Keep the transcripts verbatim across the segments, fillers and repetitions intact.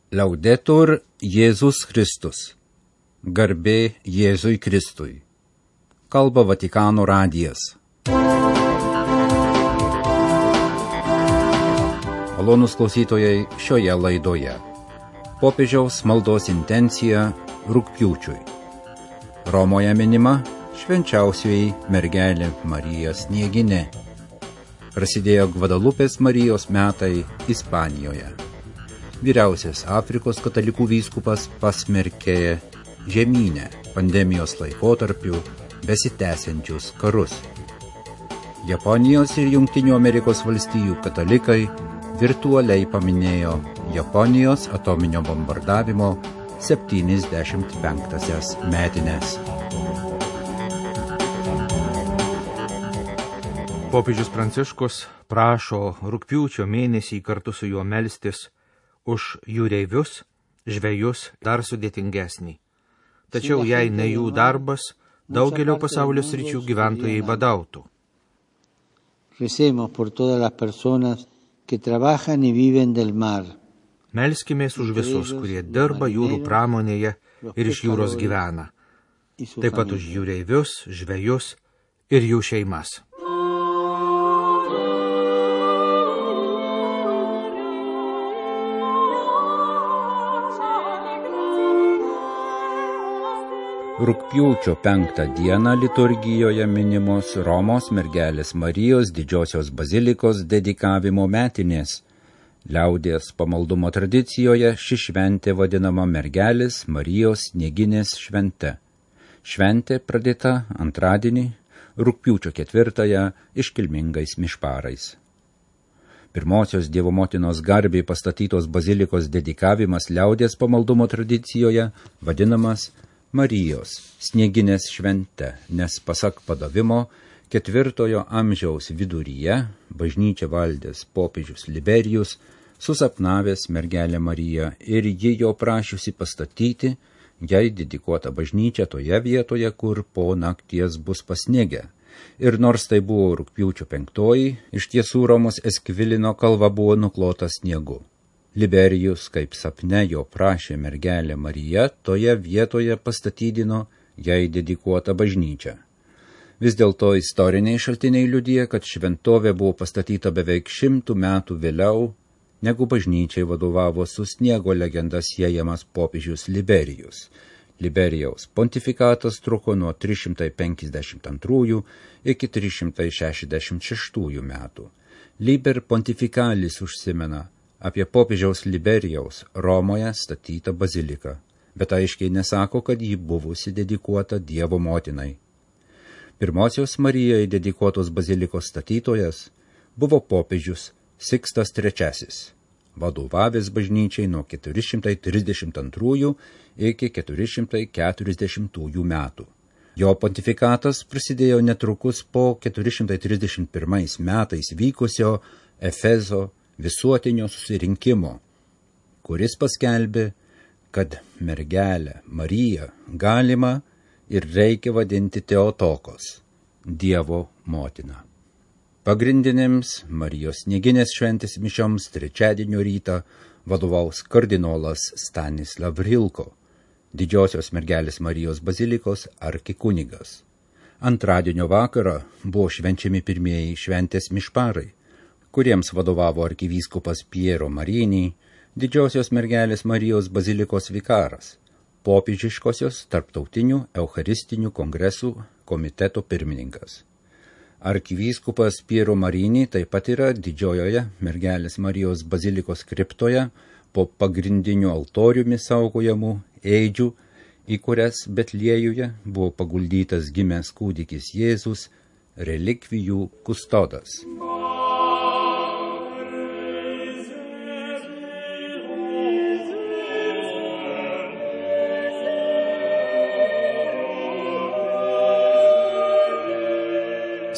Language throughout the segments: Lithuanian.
Laudetur Jėzus Kristus. Garbė Jėzui Kristui. Kalba Vatikano radijas. Malonūs klausytojai šioje laidoje. Popiežiaus maldos intencija rugpjūčiui. Romoje minima švenčiausioji mergelė Marija Snieginė. Prasidėjo Gvadalupės Marijos metai Ispanijoje. Vyriausias Afrikos katalikų vyskupas pasmerkė žemynę pandemijos laikotarpiu besitęsiančius karus. Japonijos ir Jungtinių Amerikos valstijų katalikai virtualiai paminėjo Japonijos atominio bombardavimo septyniasdešimt penktąsias metines. Popiežius Pranciškus prašo rugpjūčio mėnesį kartu su juo melstis už jūreivius, žvejus dar sudėtingesnį. Tačiau jei ne jų darbas, daugelio pasaulio sričių gyventojai badautų. Melskimės už visus, kurie dirba jūrų pramonėje ir iš jūros gyvena. Taip pat už jūreivius, žvejus ir jų šeimas. Rugpjūčio penktą dieną liturgijoje minimos Romos mergelės Marijos didžiosios bazilikos dedikavimo metinės. Liaudies pamaldumo tradicijoje ši šventė vadinama mergelės Marijos Snieginės švente. Šventė pradėta antradienį, rugpjūčio ketvirtąją iškilmingais mišparais. Pirmosios Dievo motinos garbei pastatytos bazilikos dedikavimas liaudies pamaldumo tradicijoje vadinamas Marijos Snieginės švente, nes pasak padavimo ketvirtojo amžiaus viduryje bažnyčią valdęs popiežius Liberijus susapnavęs mergelę Mariją ir ji jo prašiusi pastatyti jai dedikuotą bažnyčią toje vietoje, kur po nakties bus pasnigę. Ir nors tai buvo rugpjūčio penktoji, iš tiesų Romos Eskvilino kalva buvo nuklota sniegu. Liberijus, kaip sapne jo prašė mergelė Marija, toje vietoje pastatydino jai dedikuotą bažnyčią. Vis dėlto istoriniai šaltiniai liudija, kad šventovė buvo pastatyta beveik šimtų metų vėliau, negu bažnyčiai vadovavo su sniego legenda siejamas popiežius Liberijus. Liberijaus pontifikatas truko nuo trys šimtai penkiasdešimt antrųjų iki trys šimtai šešiasdešimt šeštųjų metų. Liber pontifikalis užsimena apie popiežiaus Liberijaus Romoje statytą baziliką, bet aiškiai nesako, kad ji buvusi dedikuota Dievo motinai. Pirmosios Marijai dedikuotos bazilikos statytojas buvo popiežius Sikstas trečiasis, vadovavęs bažnyčiai nuo keturi šimtai trisdešimt antrųjų iki keturi šimtai keturiasdešimtųjų metų. Jo pontifikatas prasidėjo netrukus po keturi šimtai trisdešimt pirmais metais vykusio Efezo visuotinio susirinkimo, kuris paskelbė, kad mergelę Mariją galima ir reikia vadinti Teotokos, Dievo motina. Pagrindinėms Marijos Snieginės šventės mišioms trečiadienio rytą vadovaus kardinolas Stanislav Rilko, didžiosios mergelės Marijos bazilikos arkikunigas. Antradienio vakarą buvo švenčiami pirmieji šventės mišparai, kuriems vadovavo arkivyskupas Piero Marini, didžiosios mergelės Marijos bazilikos vikaras, popiežiškosios tarptautinių eucharistinių kongresų komiteto pirmininkas. Arkivyskupas Piero Marini taip pat yra didžiojoje mergelės Marijos bazilikos kriptoje po pagrindiniu altoriumi saugojamų ėdžių, į kurias Betliejuje buvo paguldytas gimęs kūdikis Jėzus, relikvijų kustodas.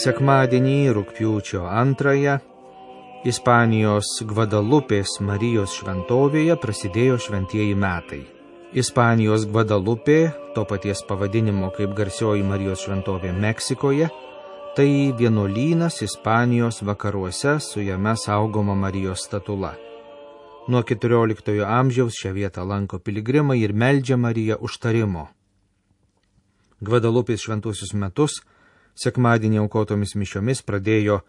Sekmadienį rugpjūčio antrąją Ispanijos Gvadalupės Marijos šventovėje prasidėjo šventieji metai. Ispanijos Gvadalupė, to paties pavadinimo kaip garsioji Marijos šventovė Meksikoje, tai vienuolynas Ispanijos vakaruose su jame saugoma Marijos statula. Nuo keturioliktojo amžiaus šią vietą lanko piligrimai ir meldžia Mariją užtarimo. Gvadalupės šventuosius metus sekmadienį aukotomis mišiomis pradėjo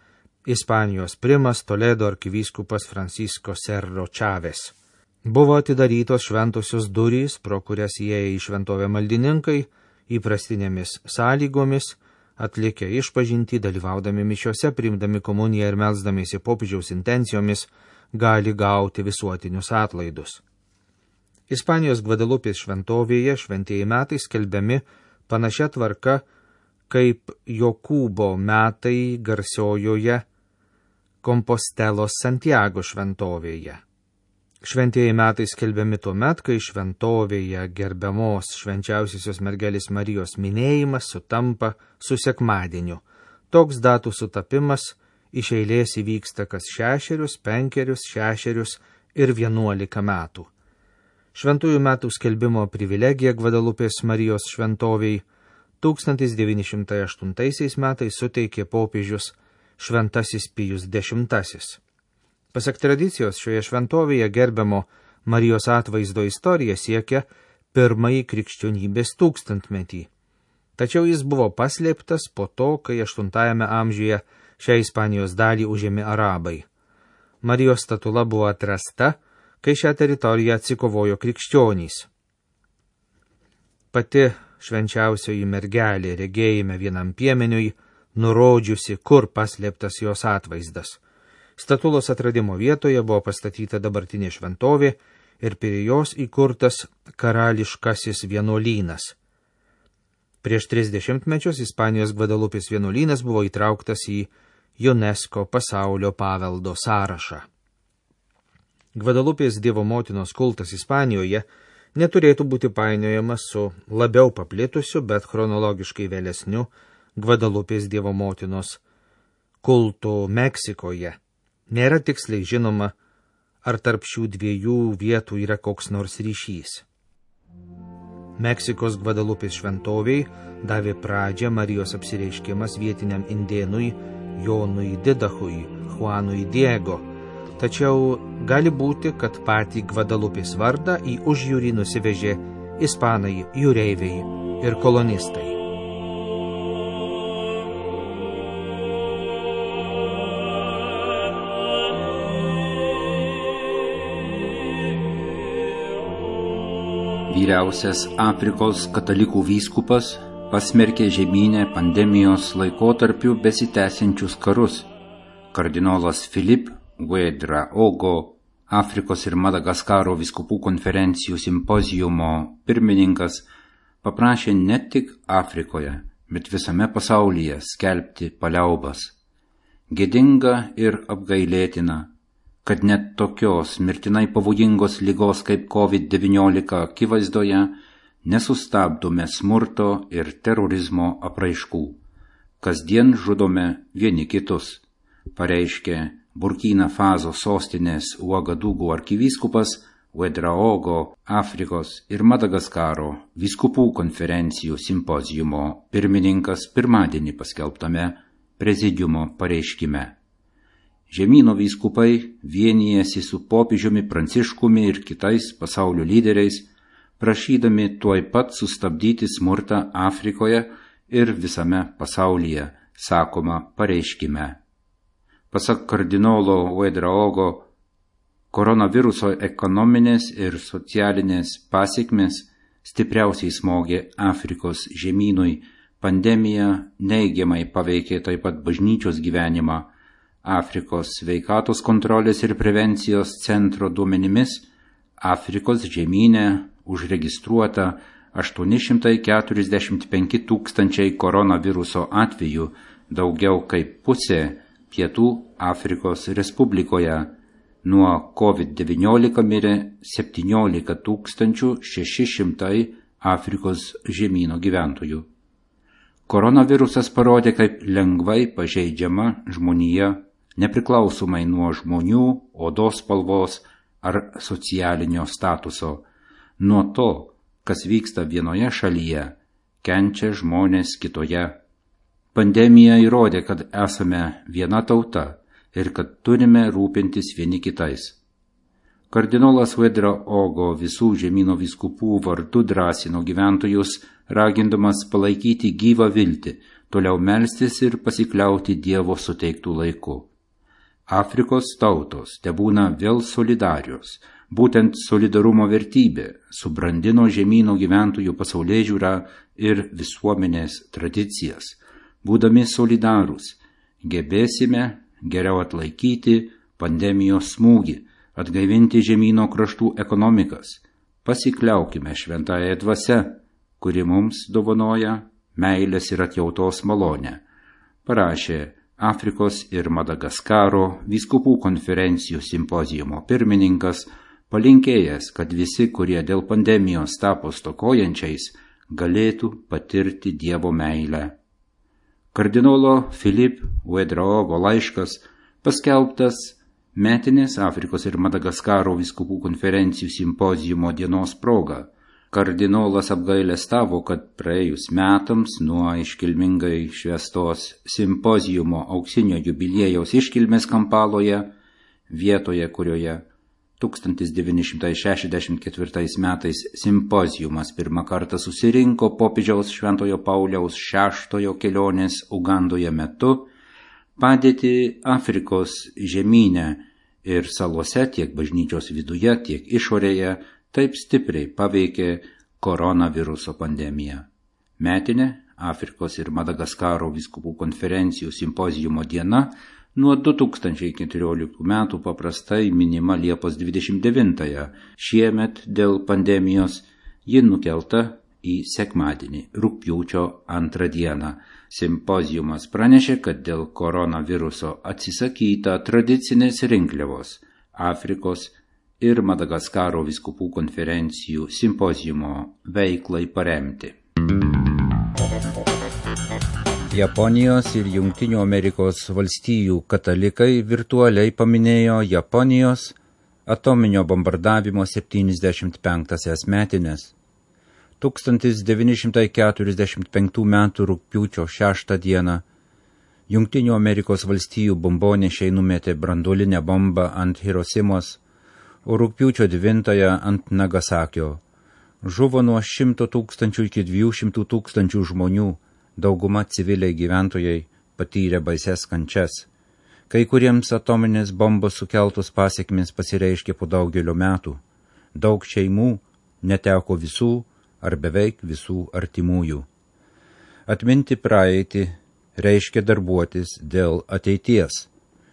Ispanijos primas Toledo arkivyskupas Francisco Serro Chávez. Buvo atidarytos šventosios durys, pro kurias įėję į šventovę maldininkai, įprastinėmis sąlygomis, atlikę išpažintį, dalyvaudami mišiose, priimdami komuniją ir melsdamiesi popiežiaus intencijomis, gali gauti visuotinius atlaidus. Ispanijos Gvadalupės šventovėje šventieji metai skelbiami panašia tvarka, kaip Jokūbo metai garsiojoje Kompostelos Santiago šventovėje. Šventieji metai skelbiami tuo met, kai šventovėje gerbiamos švenčiausiosios mergelės Marijos minėjimas sutampa su sekmadieniu. Toks datų sutapimas iš eilės įvyksta kas šešerius, penkerius, šešerius ir vienuolika metų. Šventųjų metų skelbimo privilegija Gvadalupės Marijos šventoviai tūkstantis devyni šimtai aštuntaisiais metais suteikė popiežius Šventasis Pijus dešimtasis. Pasak tradicijos, šioje šventovėje gerbiamo Marijos atvaizdo istorija siekia pirmąjį krikščionybės tūkstantmetį. Tačiau jis buvo paslėptas po to, kai aštuntajame amžiuje šią Ispanijos dalį užėmė arabai. Marijos statula buvo atrasta, kai šią teritoriją atsikovojo krikščionys. Pati švenčiausioji mergelė regėjime vienam piemeniui, nurodžiusi, kur paslėptas jos atvaizdas. Statulos atradimo vietoje buvo pastatyta dabartinė šventovė ir prie jos įkurtas karališkasis vienuolynas. Prieš tris dešimtmečius Ispanijos Gvadalupės vienuolynas buvo įtrauktas į UNESCO pasaulio paveldo sąrašą. Gvadalupės Dievo motinos kultas Ispanijoje neturėtų būti painiojamas su labiau paplitusiu, bet chronologiškai vėlesniu Gvadalupės Dievo motinos kultu Meksikoje. Nėra tiksliai žinoma, ar tarp šių dviejų vietų yra koks nors ryšys. Meksikos Gvadalupės šventoviai davė pradžią Marijos apsireiškimas vietiniam indėnui Jonui Didachui, Juanui Diego, tačiau gali būti, kad patį Gvadalupės vardą į užjūrį nusivežė ispanai, jūreiviai ir kolonistai. Vyriausias Afrikos katalikų vyskupas pasmerkė žemynę pandemijos laikotarpiu besitęsiančius karus. Kardinolas Filip Ouedraogo, Afrikos ir Madagaskaro vyskupų konferencijų simpoziumo pirmininkas, paprašė ne tik Afrikoje, bet visame pasaulyje skelbti paliaubas. Gėdinga ir apgailėtina, kad net tokios mirtinai pavojingos ligos kaip kovid devyniolika akivaizdoje nesustabdome smurto ir terorizmo apraiškų. Kasdien žudome vieni kitus, pareiškė Burkina Faso sostinės Uagadugu arkivyskupas Ouedraogo Afrikos ir Madagaskaro vyskupų konferencijų simpoziumo pirmininkas pirmadienį paskelbtame prezidiumo pareiškime. Žemyno vyskupai vienijasi su popiežiumi Pranciškumi ir kitais pasaulio lyderiais, prašydami tuoj pat sustabdyti smurtą Afrikoje ir visame pasaulyje, sakoma pareiškime. Pasak kardinolo Ouedraogo, koronaviruso ekonominės ir socialinės pasekmės stipriausiai smogė Afrikos žemynui, pandemija neigiamai paveikė taip pat bažnyčios gyvenimą. Afrikos sveikatos kontrolės ir prevencijos centro duomenimis Afrikos žemyne užregistruota aštuoni šimtai keturiasdešimt penki tūkstančiai koronaviruso atvejų, daugiau kaip pusė Pietų Afrikos Respublikoje. Nuo kovid devyniolika mirė septyniolika tūkstančių šeši šimtai Afrikos žemyno gyventojų. Koronavirusas parodė, kaip lengvai pažeidžiama žmonija, nepriklausomai nuo žmonių, odos spalvos ar socialinio statuso. Nuo to, kas vyksta vienoje šalyje, kenčia žmonės kitoje. Pandemija įrodė, kad esame viena tauta ir kad turime rūpintis vieni kitais. Kardinolas Uedraogo visų žemyno vyskupų vardu drąsino gyventojus, ragindamas palaikyti gyvą viltį, toliau melstis ir pasikliauti Dievo suteiktų laiku. Afrikos tautos tebūna vėl solidarios. Būtent solidarumo vertybė subrandino žemyno gyventojų pasaulėžiūrą ir visuomenės tradicijas. Būdami solidarūs, gebėsime geriau atlaikyti pandemijos smūgį, atgaivinti žemyno kraštų ekonomikas. Pasikliaukime šventąją dvasią, kuri mums dovanoja meilės ir atjautos malonę, parašė Afrikos ir Madagaskaro vyskupų konferencijų simpozijumo pirmininkas, palinkėjęs, kad visi, kurie dėl pandemijos tapo stokojančiais, galėtų patirti Dievo meilę. Kardinolo Filip Uedraogo laiškas paskelbtas metinės Afrikos ir Madagaskaro vyskupų konferencijų simpozijumo dienos proga. Kardinolas apgailestavo, kad praėjus metams nuo iškilmingai švęstos simpozijumo auksinio jubiliejaus iškilmės Kampaloje, vietoje, kurioje tūkstantis devyni šimtai šešiasdešimt ketvirtais metais simpozijumas pirmą kartą susirinko popiežiaus Šventojo Pauliaus šeštojo kelionės Ugandoje metu, padėtį Afrikos žemyne ir salose tiek bažnyčios viduje, tiek išorėje taip stipriai paveikė koronaviruso pandemija. Metinė Afrikos ir Madagaskaro vyskupų konferencijų simpozijumo diena nuo du tūkstančiai keturioliktų metų paprastai minima Liepos dvidešimt devintąją. Šiemet dėl pandemijos ji nukelta į sekmadienį, rugpjūčio antrą dieną. Simpozijumas pranešė, kad dėl koronaviruso atsisakyta tradicinės rinkliavos Afrikos ir Madagaskaro vyskupų konferencijų simpozijumo veiklai paremti. Japonijos ir Jungtinių Amerikos valstijų katalikai virtualiai paminėjo Japonijos atominio bombardavimo septyniasdešimt penktąsias metinės. tūkstantis devyni šimtai keturiasdešimt penktų metų rugpjūčio šeštą dieną Jungtinių Amerikos valstijų bombonešiai numetė branduolinę bombą ant Hirosimos, o rugpjūčio devintąją ant Nagasakio. Žuvo nuo šimto tūkstančių iki dviejų šimtų tūkstančių žmonių, dauguma civiliai gyventojai patyrė baises kančias. Kai kuriems atominės bombos sukeltos pasekmės pasireiškė po daugelio metų. Daug šeimų neteko visų ar beveik visų artimųjų. Atminti praeitį reiškia darbuotis dėl ateities.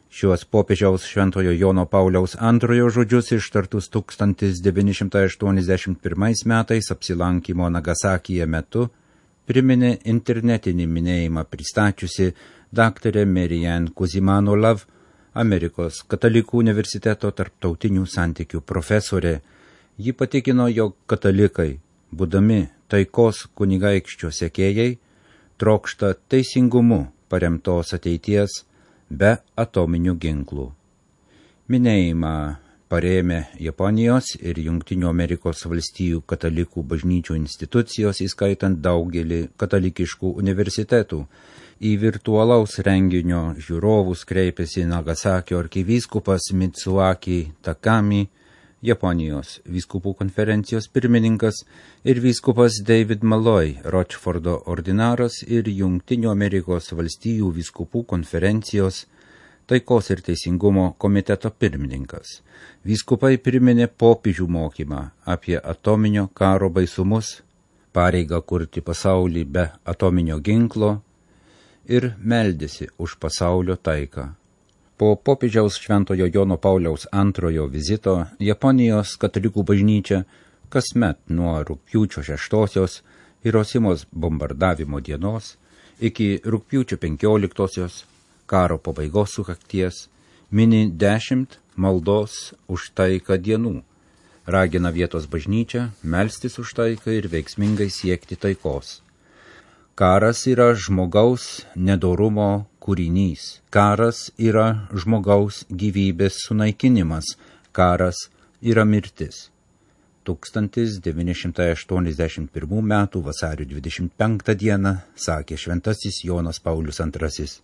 Šiuos popiežiaus Šventojo Jono Pauliaus antrojo žodžius ištartus tūkstantis devyni šimtai aštuoniasdešimt pirmais metais apsilankymo Nagasakyje metu priminė internetinį minėjimą pristačiusi daktarė Marianne Kuzimanolav, Amerikos katalikų universiteto tarptautinių santykių profesorė. Ji patikino, jog katalikai, būdami taikos kunigaikščio sekėjai, trokšta teisingumu paremtos ateities be atominių ginklų. Minėjimą parėmė Japonijos ir Jungtinių Amerikos valstijų katalikų bažnyčių institucijos, įskaitant daugelį katalikiškų universitetų. Į virtualaus renginio žiūrovus kreipėsi Nagasakio arkivyskupas Mitsuaki Takami, Japonijos vyskupų konferencijos pirmininkas ir vyskupas David Malloy, Rochfordo ordinaras ir Jungtinių Amerikos valstijų vyskupų konferencijos taikos ir teisingumo komiteto pirmininkas. Vyskupai priminė popiežių mokymą apie atominio karo baisumus, pareigą kurti pasaulį be atominio ginklo ir meldėsi už pasaulio taiką. Po popiežiaus Šventojo Jono Pauliaus antrojo vizito Japonijos katalikų bažnyčia kasmet nuo rugpjūčio šeštosios Hirosimos bombardavimo dienos iki rugpjūčio penkioliktosios karo pabaigos sukakties mini dešimt maldos už taiką dienų, ragina vietos bažnyčią melstis už taiką ir veiksmingai siekti taikos. Karas yra žmogaus nedorumo kūrinys. Karas yra žmogaus gyvybės sunaikinimas. Karas yra mirtis. tūkstantis devyni šimtai aštuoniasdešimt pirmų metų vasario dvidešimt penktą dieną sakė šventasis Jonas Paulius antrasis.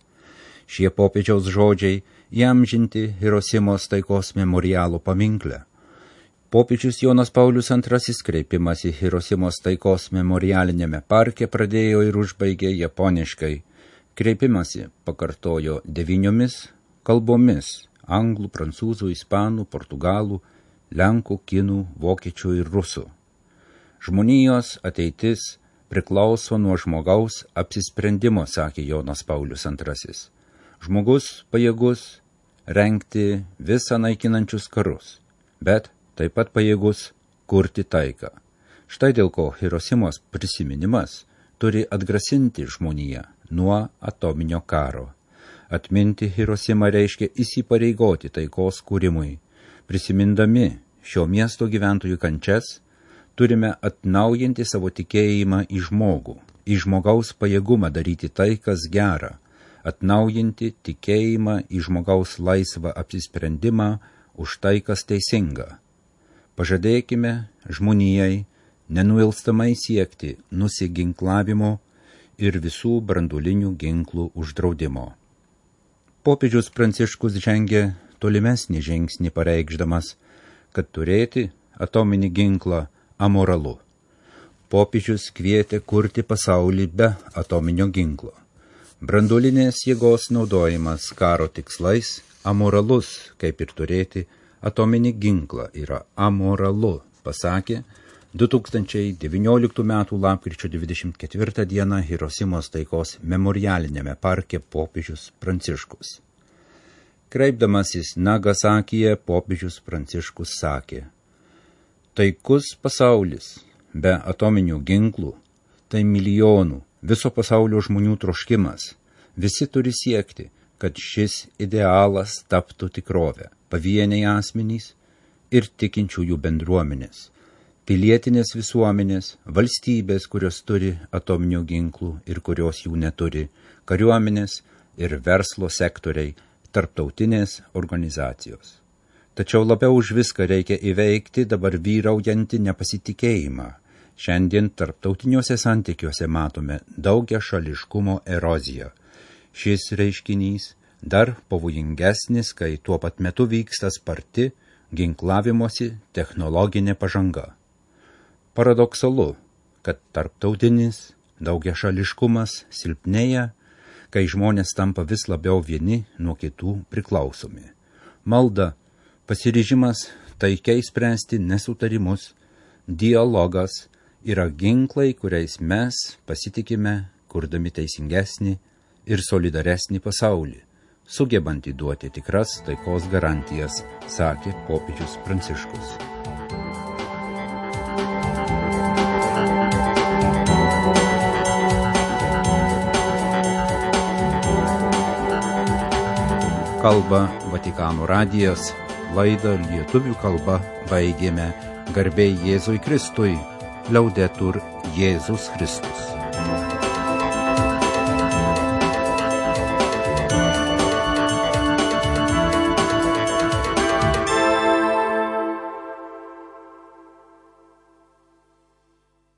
Šie popiežiaus žodžiai įamžinti Hirosimos taikos memorialo paminkle. Popiežius Jonas Paulius antrasis kreipimas į Hirosimos taikos memorialinėme parke pradėjo ir užbaigė japoniškai. Kreipimasi pakartojo devyniomis kalbomis – anglų, prancūzų, ispanų, portugalų, lenkų, kinų, vokiečių ir rusų. Žmonijos ateitis priklauso nuo žmogaus apsisprendimo, sakė Jonas Paulius antrasis. Žmogus pajėgus rengti visą naikinančius karus, bet taip pat pajėgus kurti taiką. Štai dėl ko Hirosimos prisiminimas turi atgrasinti žmoniją nuo atominio karo. Atminti Hirosimą reiškia įsipareigoti taikos kūrimui. Prisimindami šio miesto gyventojų kančias, turime atnaujinti savo tikėjimą į žmogų, į žmogaus pajėgumą daryti tai, kas gera, atnaujinti tikėjimą į žmogaus laisvą apsisprendimą už tai, kas teisinga. Pažadėkime žmonijai nenuilstamai siekti nusiginklavimo ir visų branduolinių ginklų uždraudimo. Popiežius Pranciškus žengė tolimesnį žingsnį pareikšdamas, kad turėti atominį ginklą amoralu. Popiežius kvietė kurti pasaulį be atominio ginklo. Branduolinės jėgos naudojimas karo tikslais amoralus, kaip ir turėti atominį ginklą yra amoralu, pasakė du tūkstančiai devynioliktų metų lapkričio dvidešimt ketvirtą dieną Hirosimos taikos memorialinėme parke popiežius Pranciškus. Kreipdamasis Nagasakyje, popiežius Pranciškus sakė: taikus pasaulis be atominių ginklų tai milijonų viso pasaulio žmonių troškimas. Visi turi siekti, kad šis idealas taptų tikrovę. Pavieniai asmenys ir tikinčiųjų bendruomenės, pilietinės visuomenės, valstybės, kurios turi atominių ginklų ir kurios jų neturi, kariuomenės ir verslo sektoriai, tarptautinės organizacijos. Tačiau labiau už viską reikia įveikti dabar vyraujantį nepasitikėjimą. Šiandien tarptautiniuose santykiuose matome daugia šališkumo eroziją. Šis reiškinys dar pavojingesnis, kai tuo pat metu vyksta sparti ginklavimosi technologinė pažanga. Paradoksalu, kad tarptautinis daugiašališkumas silpnėja, kai žmonės tampa vis labiau vieni nuo kitų priklausomi. Malda, pasiryžimas taikiai spręsti nesutarimus, dialogas yra ginklai, kuriais mes pasitikime, kurdami teisingesnį ir solidaresnį pasaulį, sugebantį duoti tikras taikos garantijas, sakė popiežius Pranciškus. Kalba Vatikano radijas, laidą lietuvių kalba baigėme. Garbė Jėzui Kristui, Liaudetur Jėzus Kristus.